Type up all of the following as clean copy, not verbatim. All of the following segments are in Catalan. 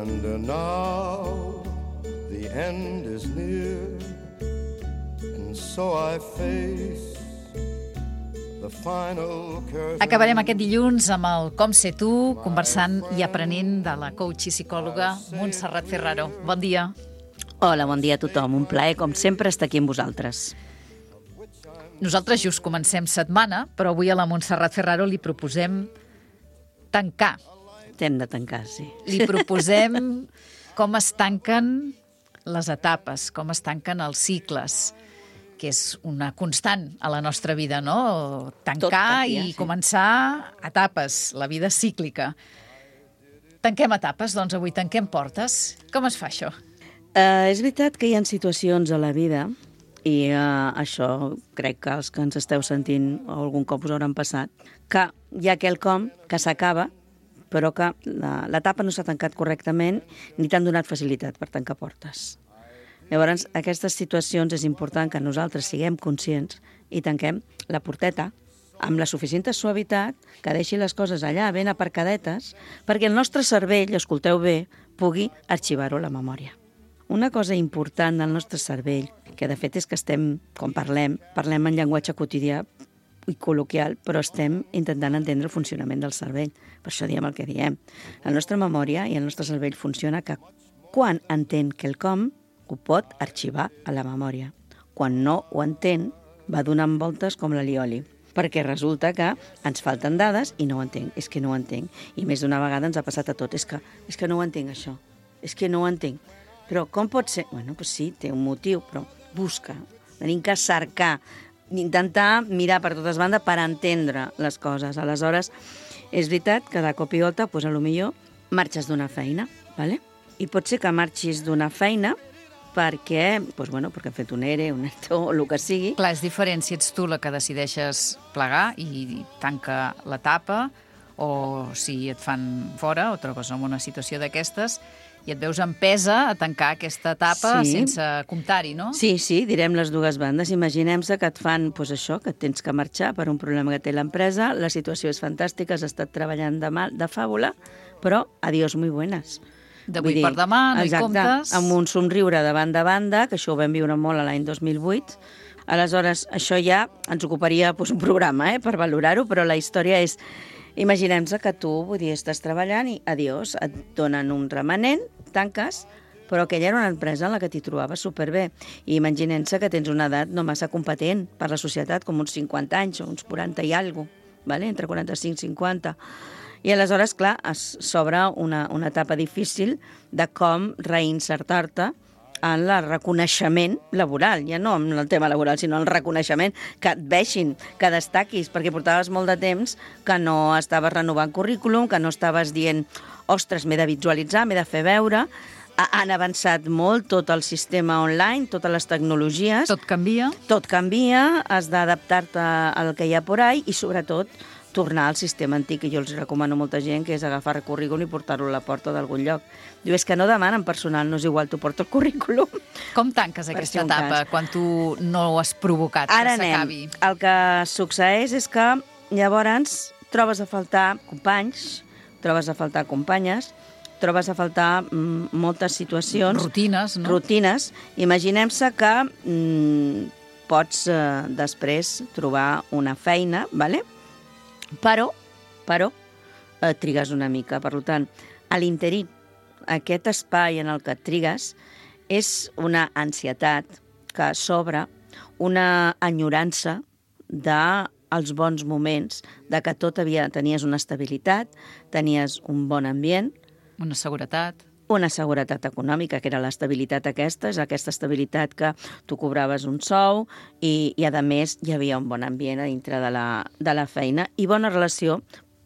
And now the end is near, and so I face the final curtain. Acabarem aquest dilluns amb el Com ser tu, conversant i aprenent de la coach i psicòloga Montserrat Ferraro. Bon dia. Hola, bon dia a tothom. Un plaer, com sempre, estar aquí amb vosaltres. Nosaltres just comencem setmana, però avui a la Montserrat Ferraro li proposem tancar. Hem de tancar, sí. Li proposem com es tanquen les etapes, com es tanquen els cicles, que és una constant a la nostra vida, no? Tancar i començar etapes, la vida cíclica. Tanquem etapes, doncs avui tanquem portes. Com es fa això? És veritat que hi ha situacions a la vida, i això crec que els que ens esteu sentint algun cop us hauran passat, que hi ha quelcom que s'acaba, però que l'etapa no s'ha tancat correctament ni t'han donat facilitat per tancar portes. Llavors, aquestes situacions és important que nosaltres siguem conscients i tanquem la porteta amb la suficient suavitat que deixi les coses allà ben aparcadetes perquè el nostre cervell, escolteu bé, pugui arxivar-ho a la memòria. Una cosa important del nostre cervell, que de fet és que estem, quan parlem en llenguatge quotidià i col·loquial, però estem intentant entendre el funcionament del cervell. Per això diem el que diem. La nostra memòria i el nostre cervell funciona que quan entén quelcom, ho pot arxivar a la memòria. Quan no ho entén, va donant voltes com l'alioli, perquè resulta que ens falten dades i no ho entenc, és que no ho entenc. I més d'una vegada ens ha passat a tot, és que no ho entenc això, és que no ho entenc. Però com pot ser? Bueno, doncs sí, té un motiu, però busca, tenim que cercar, intentar mirar per totes bandes per entendre les coses. Aleshores, és veritat que de cop i volta, doncs, potser marxes d'una feina, ¿vale? I pot ser que marxis d'una feina perquè, perquè hem fet un ERE, un ERTO, o el que sigui. Clar, és diferent si ets tu la que decideixes plegar i tanca l'etapa, o si et fan fora o trobes en una situació d'aquestes i et veus empesa a tancar aquesta etapa sense comptar-hi, no? Sí, direm les dues bandes. Imaginem-se que et fan això, que tens que marxar per un problema que té l'empresa, la situació és fantàstica, has estat treballant de fàbula, però adiós muy buenas. D'avui per demà, no hi comptes. Amb un somriure de banda, que això ho vam viure molt a l'any 2008. Aleshores, això ja ens ocuparia un programa per valorar-ho, però la història és... Imaginem-se que tu, estàs treballant i adiós, et donen un remanent, tanques, però aquella era una empresa en la que t'hi trobaves superbé. I imaginem-se que tens una edat no massa competent per la societat, com uns 50 anys o uns 40 i alguna cosa, entre 45 i 50. I aleshores, clar, s'obre una etapa difícil de com reinsertar-te en el reconeixement laboral, ja no en el tema laboral, sinó el reconeixement, que et veixin, que destaquis, perquè portaves molt de temps que no estaves renovant currículum, que no estaves dient, ostres, m'he de visualitzar, m'he de fer veure. Han avançat molt tot el sistema online, totes les tecnologies. Tot canvia. Tot canvia, has d'adaptar-te al que hi ha por ahí i, sobretot, tornar al sistema antic, que jo els recomano a molta gent, que és agafar el currículum i portar-lo a la porta d'algun lloc. Diu, és que no demanen personal, no és igual, tu porta el currículum. Com tanques aquesta etapa quan tu no ho has provocat, que s'acabi? El que succeeix és que llavors trobes a faltar companys, trobes a faltar companyes, trobes a faltar moltes situacions. Rutines, no? Rutines. Imaginem-se que pots després trobar una feina, ¿vale? Però trigues una mica. Per tant, a l'interí, aquest espai en el que et trigues és una ansietat que s'obre, una enyorança dels bons moments, de que tenies una estabilitat, tenies un bon ambient. Una seguretat. Una seguretat econòmica, que era l'estabilitat aquesta, és aquesta estabilitat que tu cobraves un sou i a més hi havia un bon ambient a dintre de la feina i bona relació,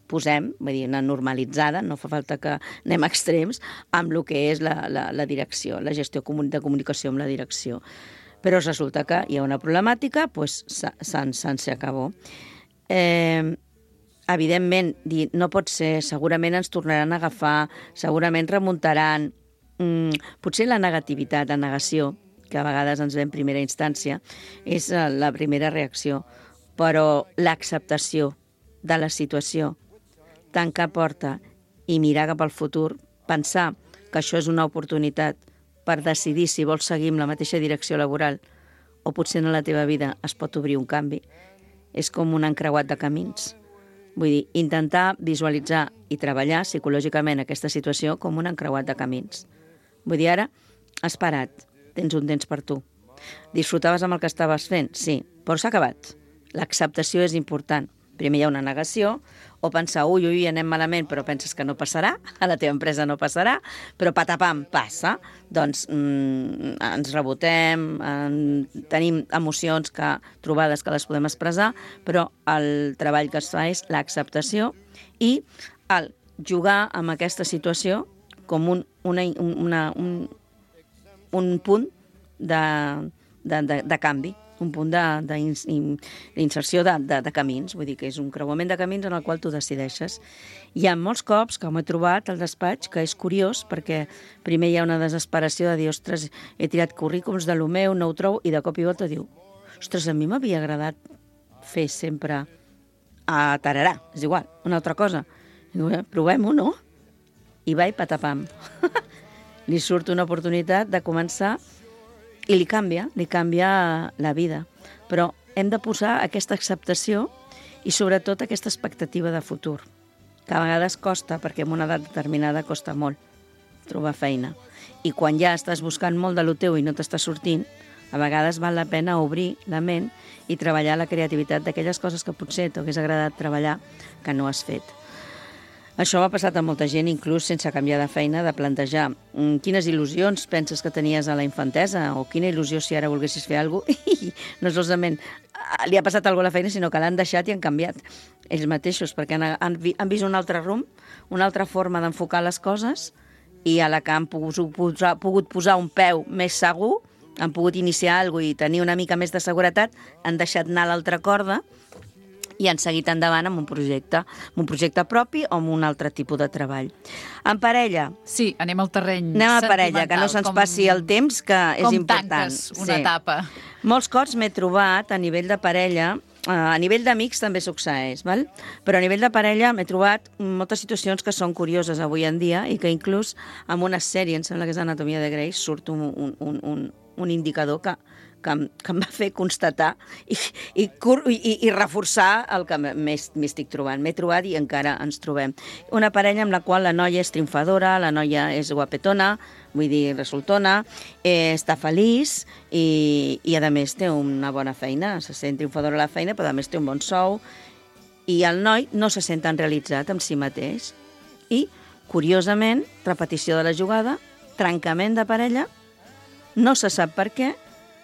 una normalitzada, no fa falta que anem a extrems, amb el que és la direcció, la gestió de comunicació amb la direcció. Però resulta que hi ha una problemàtica, doncs se'n acabó. Evidentment, no pot ser, segurament ens tornaran a agafar, segurament remuntaran. Potser la negativitat, la negació, que a vegades ens ve en primera instància, és la primera reacció, però l'acceptació de la situació, tancar porta i mirar cap al futur, pensar que això és una oportunitat per decidir si vols seguir amb la mateixa direcció laboral o potser en la teva vida es pot obrir un canvi. És com un encreuat de camins. Vull dir, intentar visualitzar i treballar psicològicament aquesta situació com un encreuat de camins. Vull dir, ara has parat, tens un temps per tu. Disfrutaves amb el que estaves fent? Sí, però s'ha acabat. L'acceptació és important. Primer hi ha una negació, o pensar, ui, anem malament, però penses que no passarà, a la teva empresa no passarà, però patapam, passa. Doncs ens rebotem, tenim emocions trobades que les podem expressar, però el treball que es fa és l'acceptació i el jugar amb aquesta situació com un punt de canvi, un punt d'inserció de camins, vull dir que és un creuament de camins en el qual tu decideixes. Hi ha molts cops que m'he trobat al despatx que és curiós perquè primer hi ha una desesperació de dir, ostres, he tirat currículums de lo meu, no ho trobo, i de cop i volta diu, ostres, a mi m'havia agradat fer sempre a tararà, és igual, una altra cosa. Diu, provem-ho, no? I va i patapam. Li surt una oportunitat de començar i li canvia la vida. Però hem de posar aquesta acceptació i sobretot aquesta expectativa de futur, que a vegades costa, perquè en una edat determinada costa molt trobar feina. I quan ja estàs buscant molt de lo teu i no t'està sortint, a vegades val la pena obrir la ment i treballar la creativitat d'aquelles coses que potser t'hagués agradat treballar que no has fet. Això ha passat a molta gent, inclús sense canviar de feina, de plantejar quines il·lusions penses que tenies a la infantesa o quina il·lusió si ara volguessis fer alguna cosa i no solament li ha passat alguna cosa a la feina, sinó que l'han deixat i han canviat ells mateixos, perquè han vist un altre rumb, una altra forma d'enfocar les coses i a la que han pogut posar un peu més segur, han pogut iniciar alguna cosa i tenir una mica més de seguretat, han deixat anar l'altra corda i han seguit endavant amb un projecte propi o amb un altre tipus de treball. En parella... Sí, anem al terreny sentimental. Anem a parella, que no se'ns passi el temps, que és important. Com tanques una etapa. Molts cops m'he trobat a nivell de parella, a nivell d'amics també succeeix, val? Però a nivell de parella m'he trobat moltes situacions que són curioses avui en dia i que inclús en una sèrie, em sembla que és Anatomia de Grey, surt un indicador que em va fer constatar i reforçar el que m'estic trobant. M'he trobat i encara ens trobem. Una parella amb la qual la noia és triomfadora, la noia és guapetona, vull dir, resultona, està feliç i a més té una bona feina, se sent triomfadora a la feina, però a més té un bon sou i el noi no se sent tan realitzat amb si mateix. I, curiosament, repetició de la jugada, trencament de parella, no se sap per què,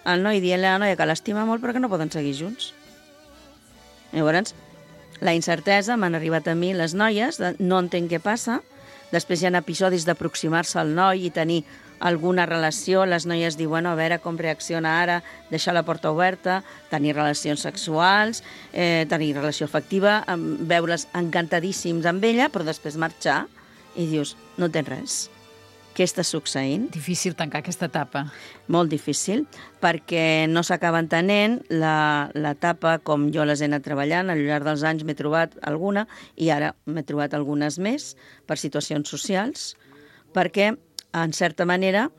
el noi dient-li a la noia que l'estima molt però que no poden seguir junts. Llavors, la incertesa m'han arribat a mi les noies, no entenc què passa, després hi ha episodis d'aproximar-se al noi i tenir alguna relació, les noies diuen, a veure com reacciona ara, deixar la porta oberta, tenir relacions sexuals, tenir relació afectiva, veure's encantadíssims amb ella, però després marxar i dius, no tens res. Què està succeint? Difícil tancar aquesta etapa. Molt difícil, perquè no s'acaba entenent l'etapa com jo les he anat treballant. Al llarg dels anys m'he trobat alguna i ara m'he trobat algunes més per situacions socials, perquè, en certa manera,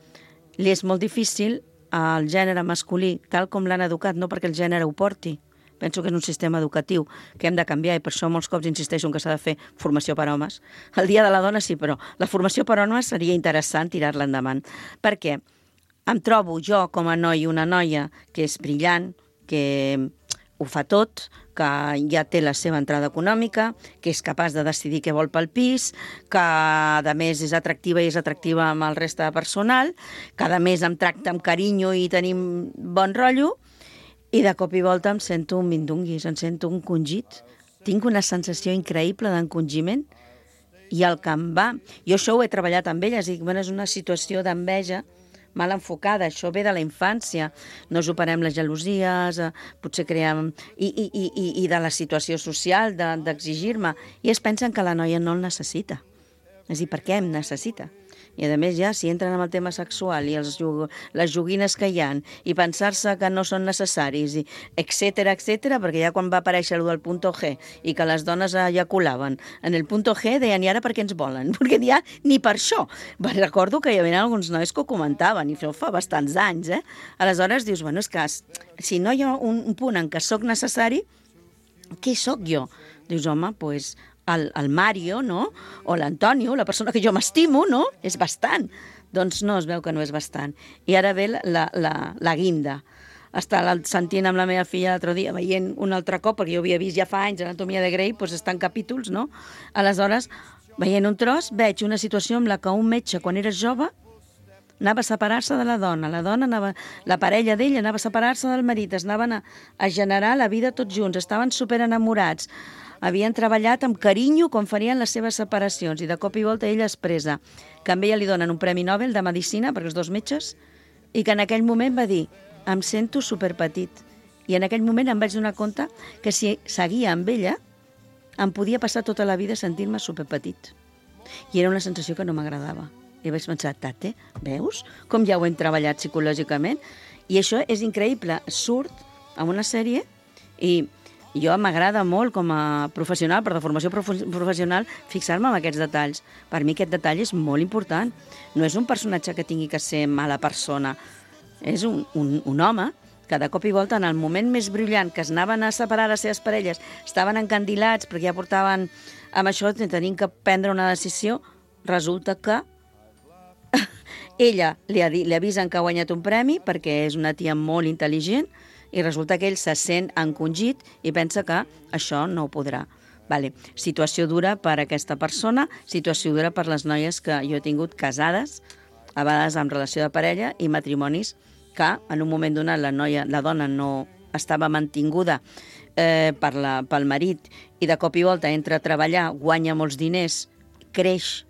li és molt difícil al gènere masculí, tal com l'han educat, no perquè el gènere ho porti. Penso que és un sistema educatiu que hem de canviar i per això molts cops insisteixo que s'ha de fer formació per a homes. El dia de la dona sí, però la formació per a homes seria interessant tirar-la endavant. Perquè em trobo jo com a noi una noia que és brillant, que ho fa tot, que ja té la seva entrada econòmica, que és capaç de decidir què vol pel pis, que a més és atractiva i és atractiva amb el reste de personal, que a més em tracta amb carinyo i tenim bon rotllo, i de cop i volta em sento un mindunguis, em sento un congit. Tinc una sensació increïble d'encongiment i el que em va... Jo això ho he treballat amb elles, i és una situació d'enveja mal enfocada, això ve de la infància, no superem les gelosies, potser creem... I de la situació social, d'exigir-me, i es pensen que la noia no el necessita. És a dir, per què em necessita? I a més ja, si entren amb el tema sexual i les joguines que hi ha i pensar-se que no són necessaris, i etcètera, perquè ja quan va aparèixer el del punto G i que les dones eyaculaven en el punto G deien, i ara per què ens volen? Perquè ja ni per això. Recordo que hi havia alguns nois que ho comentaven, i això fa bastants anys, Aleshores dius, bueno, és que si no hi ha un punt en què sóc necessari, què sóc jo? Dius, home, doncs el Mario, no? O l'Antonio, la persona que jo m'estimo, no? És bastant. Doncs no, es veu que no és bastant. I ara ve la guinda. Estava sentint amb la meva filla l'altre dia, veient un altre cop, perquè jo havia vist ja fa anys Anatomia de Grey, doncs està en capítols, no? Aleshores, veient un tros, veig una situació en la que un metge, quan era jove, anava a separar-se de la dona anava, la parella d'ell anava a separar-se del marit, es anaven a generar la vida tots junts, estaven superenamorats, havien treballat amb carinyo com farien les seves separacions, i de cop i volta ella expressa que a ella li donen un Premi Nobel de Medicina per els dos metges, i que en aquell moment va dir, em sento superpetit, i en aquell moment em vaig donar compte que si seguia amb ella em podia passar tota la vida sentint-me superpetit, i era una sensació que no m'agradava. I vaig pensar, tate, veus com ja ho hem treballat psicològicament? I això és increïble, surt en una sèrie, i jo m'agrada molt com a professional, per de formació professional, fixar-me en aquests detalls. Per mi aquest detall és molt important. No és un personatge que tingui que ser mala persona, és un home que de cop i volta, en el moment més brillant, que es anaven a separar les seves parelles, estaven encandilats perquè ja portaven amb això, tenint que prendre una decisió, resulta que ella li avisen que ha guanyat un premi perquè és una tia molt intel·ligent, i resulta que ell se sent encongit i pensa que això no ho podrà. Vale. Situació dura per a aquesta persona, situació dura per les noies que jo he tingut casades, a vegades en relació de parella, i matrimonis que en un moment donat la dona no estava mantinguda pel marit, i de cop i volta entra a treballar, guanya molts diners, creix,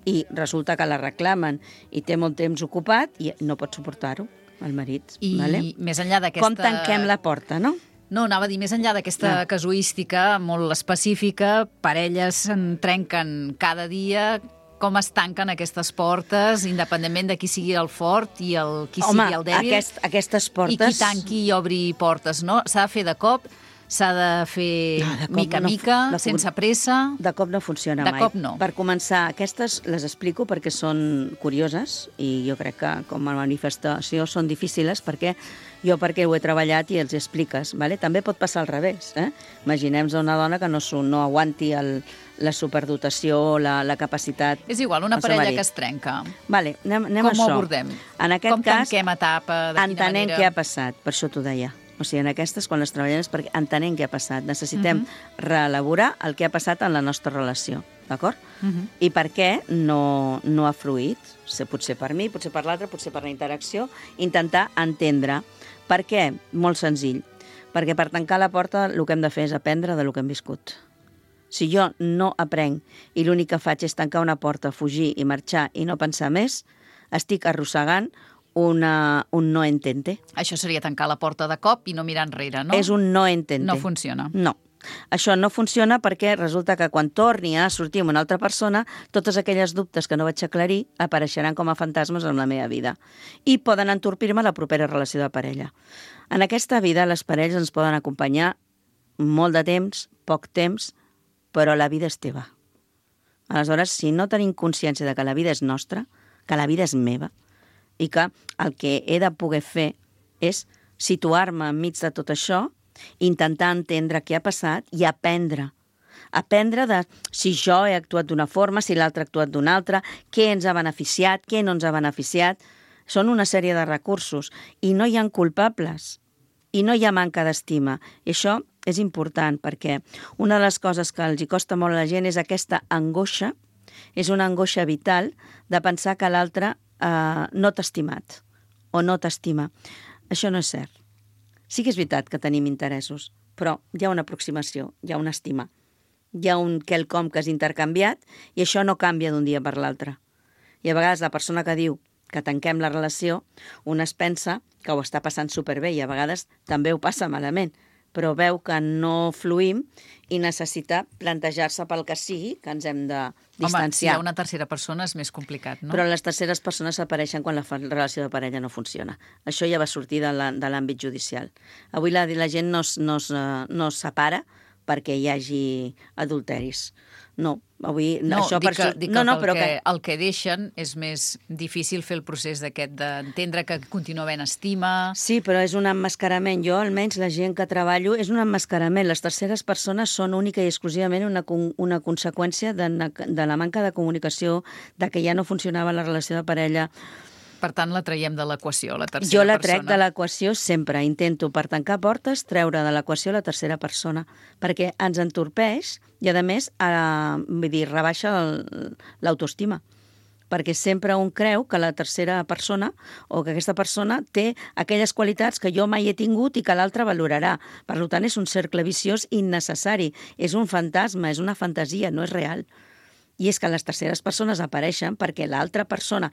i resulta que la reclamen i té molt temps ocupat i no pot suportar-ho, el marit. I vale? Més enllà d'aquesta... Com tanquem la porta, no? No, anava a dir, més enllà d'aquesta casuística molt específica, parelles se'n trenquen cada dia, com es tanquen aquestes portes, independentment de qui sigui el fort i qui sigui el dèbil. Aquestes portes... I qui tanqui i obri portes, no? S'ha de fer de cop, s'ha de fer mica a mica, sense pressa... De cop no funciona mai. De cop no. Per començar, aquestes les explico perquè són curioses, i jo crec que com a manifestació són difícils perquè ho he treballat i els expliques. Vale? També pot passar al revés. Imaginem-nos una dona que no aguanti la superdotació, la capacitat... És igual, una parella que es trenca. Vale, anem com ho abordem? En aquest com cas, tanquem etapa? De quina entenent manera? què ha passat, per això t'ho deia. O sigui, en aquestes, quan les treballem, és perquè entenem què ha passat. Necessitem reelaborar el que ha passat en la nostra relació, d'acord? I per què no ha fluït? Potser per mi, potser per l'altre, potser per la interacció. Intentar entendre. Per què? Molt senzill. Perquè per tancar la porta el que hem de fer és aprendre de lo que hem viscut. Si jo no aprenc i l'únic que faig és tancar una porta, fugir i marxar i no pensar més, estic arrossegant un no entente. Això seria tancar la porta de cop i no mirar enrere, no? És un no entente. No funciona. No. Això no funciona perquè resulta que quan torni a sortir amb una altra persona, totes aquelles dubtes que no vaig aclarir apareixeran com a fantasmes en la meva vida i poden entorpir-me la propera relació de parella. En aquesta vida les parelles ens poden acompanyar molt de temps, poc temps, però la vida és teva. Aleshores, si no tenim consciència de que la vida és nostra, que la vida és meva, i que el que he de poder fer és situar-me enmig de tot això, intentar entendre què ha passat i aprendre. Aprendre de si jo he actuat d'una forma, si l'altre ha actuat d'una altra, què ens ha beneficiat, què no ens ha beneficiat. Són una sèrie de recursos i no hi ha culpables i no hi ha manca d'estima. I això és important perquè una de les coses que els hi costa molt a la gent és aquesta angoixa, és una angoixa vital de pensar que l'altre no t'ha estimat o no t'estima. Això no és cert. Sí que és veritat que tenim interessos, però hi ha una aproximació, hi ha una estima, hi ha un quelcom que has intercanviat i això no canvia d'un dia per l'altre. I a vegades la persona que diu que tanquem la relació, una es pensa que ho està passant superbé i a vegades també ho passa malament, però veu que no fluïm i necessita plantejar-se pel que sigui, que ens hem de distanciar. Home, si hi ha una tercera persona és més complicat, no? Però les terceres persones apareixen quan la relació de parella no funciona. Això ja va sortir de l'àmbit judicial. Avui la gent no es separa perquè hi hagi adulteris. No, avui... No, això dic que el que deixen és més difícil fer el procés d'aquest d'entendre que continua havent estima... Sí, però és un emmascarament. Jo, almenys, la gent que treballo, és un emmascarament. Les terceres persones són única i exclusivament una conseqüència de la manca de comunicació, de que ja no funcionava la relació de parella. Per tant, la traiem de l'equació, la tercera persona. Jo la trec de l'equació sempre. Intento, per tancar portes, treure de l'equació la tercera persona, perquè ens entorpeix i, a més, rebaixa l'autoestima. Perquè sempre un creu que la tercera persona o que aquesta persona té aquelles qualitats que jo mai he tingut i que l'altre valorarà. Per tant, és un cercle viciós innecessari. És un fantasma, és una fantasia, no és real. I és que les terceres persones apareixen perquè l'altra persona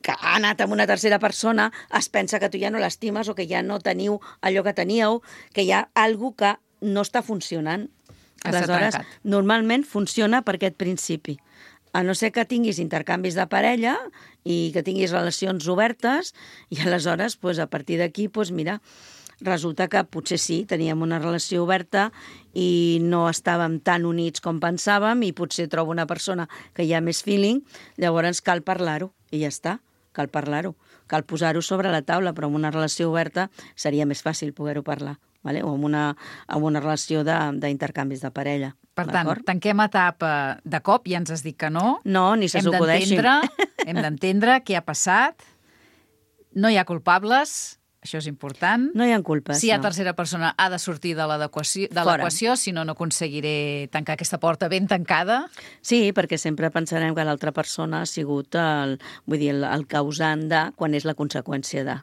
que ha anat amb una tercera persona es pensa que tu ja no l'estimes o que ja no teniu allò que teníeu, que hi ha alguna cosa que no està funcionant. Aleshores, normalment funciona per aquest principi. A no ser que tinguis intercanvis de parella i que tinguis relacions obertes i aleshores, a partir d'aquí, mira, resulta que potser sí, teníem una relació oberta i no estàvem tan units com pensàvem i potser trobo una persona que hi ha més feeling, llavors cal parlar-ho i ja està, cal parlar-ho. Cal posar-ho sobre la taula, però en una relació oberta seria més fàcil poder-ho parlar, vale? O en una relació d'intercanvis de parella. Per tant, tanquem etapa de cop, ja ens has dit que no. No, ni se s'ho acudeixin. Hem d'entendre què ha passat, no hi ha culpables. Això és important. No hi ha culpes, si hi ha tercera persona, ha de sortir de l'equació, si no, no aconseguiré tancar aquesta porta ben tancada. Sí, perquè sempre pensarem que l'altra persona ha sigut el causant de quan és la conseqüència de.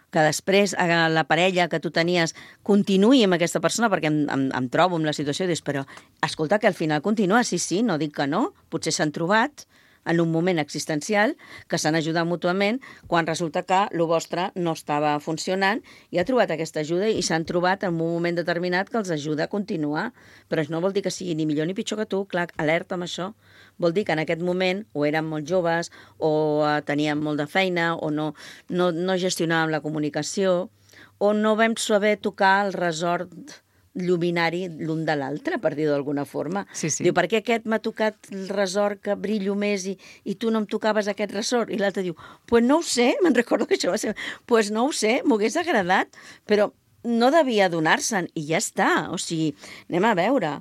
Que després la parella que tu tenies continuï amb aquesta persona, perquè em trobo en la situació i dius, però escolta, que al final continua, sí, no dic que no, potser s'han trobat en un moment existencial, que s'han ajudat mútuament, quan resulta que el vostre no estava funcionant i ha trobat aquesta ajuda i s'han trobat en un moment determinat que els ajuda a continuar. Però això no vol dir que sigui ni millor ni pitjor que tu, clar, alerta amb això. Vol dir que en aquest moment o érem molt joves o teníem molt de feina o no gestionàvem la comunicació o no vam saber tocar el resort lluminari l'un de l'altre, per dir-ho d'alguna forma. Sí. Diu, per què aquest m'ha tocat el resort que brillo més i tu no em tocaves aquest resort? I l'altre diu, pues no ho sé, me'n recordo que això va ser, pues no ho sé, m'ho hagués agradat, però no devia donar-se'n i ja està. O sigui, anem a veure.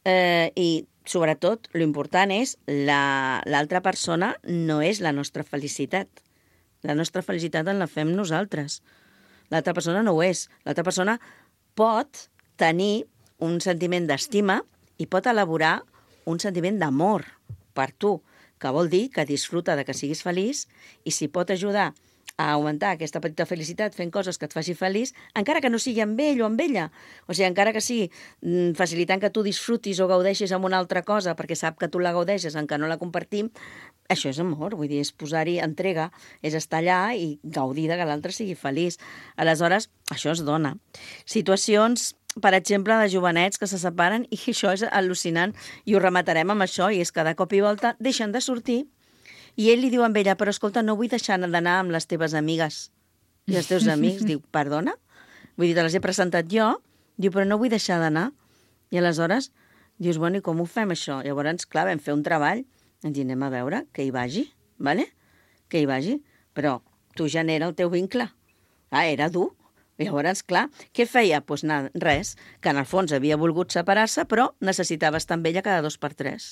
I sobretot, l'important és l'altra persona no és la nostra felicitat. La nostra felicitat en la fem nosaltres. L'altra persona no ho és. L'altra persona pot tenir un sentiment d'estima i pot elaborar un sentiment d'amor per tu, que vol dir que disfruta de que siguis feliç i si pot ajudar a augmentar aquesta petita felicitat fent coses que et faci feliç, encara que no sigui amb ell o amb ella. O sigui, encara que sigui facilitant que tu disfrutis o gaudeixis amb una altra cosa perquè sap que tu la gaudeixes, encara no la compartim, això és amor, vull dir, és posar-hi entrega, és estar allà i gaudir de que l'altre sigui feliç. Aleshores, això es dona. Situacions, per exemple, de jovenets que se separen i això és al·lucinant i ho rematarem amb això i és que de cop i volta deixen de sortir i ell li diu a ella, però escolta, no vull deixar d'anar amb les teves amigues i els teus amics. Diu, perdona? Vull dir, te les he presentat jo? Diu, però no vull deixar d'anar. I aleshores dius, bueno, i com ho fem això? Llavors, clar, vam fer un treball, ens anem a veure que hi vagi, ¿vale? Que hi vagi, però tu genera el teu vincle. Era dur. Llavors, clar, què feia? Doncs res, que en el fons havia volgut separar-se, però necessitava estar amb ella cada 2 per 3.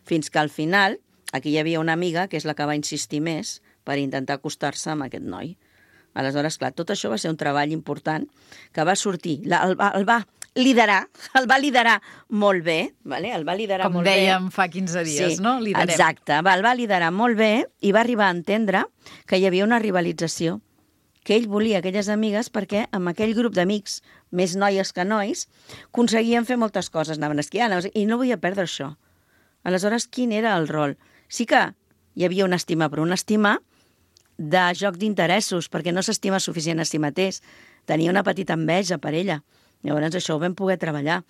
Fins que al final, aquí hi havia una amiga, que és la que va insistir més, per intentar acostar-se amb aquest noi. Aleshores, clar, tot això va ser un treball important que va sortir, el va liderar molt bé, ¿vale? El va liderar molt bé. Com dèiem fa 15 dies, sí, no? Liderem. Exacte, el va liderar molt bé i va arribar a entendre que hi havia una rivalització, que ell volia aquelles amigues perquè amb aquell grup d'amics, més noies que nois, aconseguien fer moltes coses, anaven esquiant, i no volia perdre això. Aleshores, quin era el rol? Sí que hi havia una estima, però una estima de joc d'interessos, perquè no s'estima suficient a si mateix. Tenia una petita enveja per ella. Llavors això ho vam poder treballar.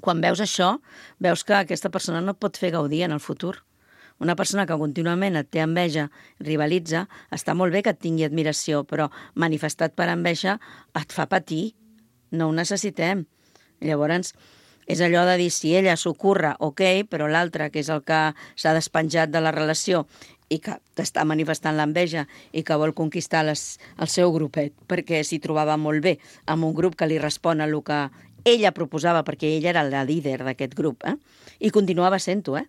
Quan veus això, veus que aquesta persona no et pot fer gaudir en el futur. Una persona que contínuament et té enveja, rivalitza, està molt bé que et tingui admiració, però manifestat per enveja et fa patir. No ho necessitem. Llavors, és allò de dir, si ella s'ho curra, ok, però l'altre, que és el que s'ha despenjat de la relació i que t'està manifestant l'enveja i que vol conquistar el seu grupet, perquè s'hi trobava molt bé amb un grup que li respon a el que ella proposava, perquè ella era la líder d'aquest grup, i continuava sent-ho,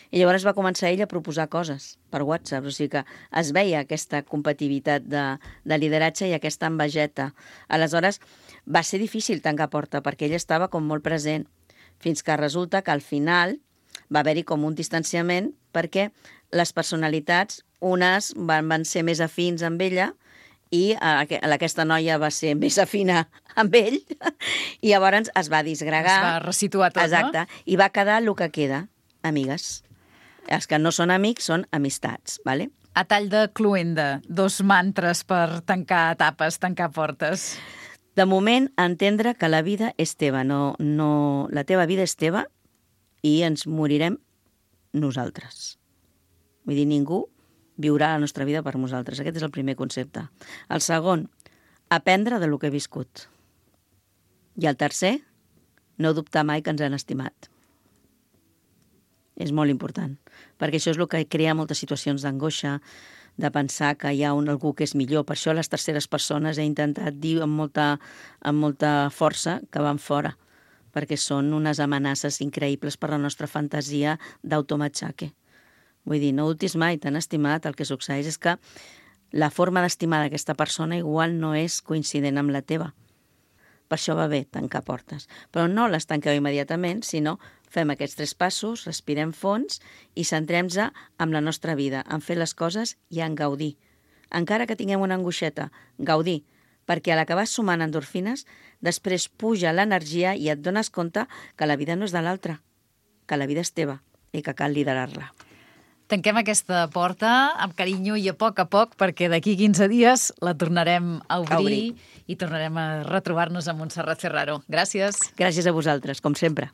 I llavors va començar ella a proposar coses per WhatsApp, o sigui que es veia aquesta competitivitat de lideratge i aquesta envejeta. Aleshores, va ser difícil tancar porta, perquè ella estava com molt present, fins que resulta que al final va haver-hi com un distanciament perquè les personalitats, unes van ser més afins amb ella i aquesta noia va ser més afina amb ell i llavors es va disgregar. Es va resituar tot, exacte, no? I va quedar el que queda, amigues. Els que no són amics són amistats, ¿vale? A tall de cluenda, 2 mantres per tancar etapes, tancar portes. De moment, entendre que la vida és teva, la teva vida és teva i ens morirem nosaltres. Vull dir, ningú viurà la nostra vida per nosaltres. Aquest és el primer concepte. El segon, aprendre de lo que he viscut. I el tercer, no dubtar mai que ens han estimat. És molt important, perquè això és el que crea moltes situacions d'angoixa, de pensar que hi ha algú que és millor. Per això les terceres persones he intentat dir amb molta força que van fora, perquè són unes amenaces increïbles per la nostra fantasia d'automatxaque. Vull dir, no dubtis mai, t'han estimat, el que succeeix és que la forma d'estimar d'aquesta persona igual no és coincident amb la teva. Per això va bé tancar portes. Però no les tanqueu immediatament, sinó fem aquests 3 passos, respirem fons i centrem-nos en la nostra vida, en fer les coses i en gaudir. Encara que tinguem una angoixeta, gaudir, perquè a la que vas sumant endorfines, després puja l'energia i et dones compte que la vida no és de l'altre, que la vida és teva i que cal liderar-la. Tanquem aquesta porta amb carinyo i a poc, perquè d'aquí 15 dies la tornarem a obrir i tornarem a retrobar-nos amb Montserrat Ferraro. Gràcies. Gràcies a vosaltres, com sempre.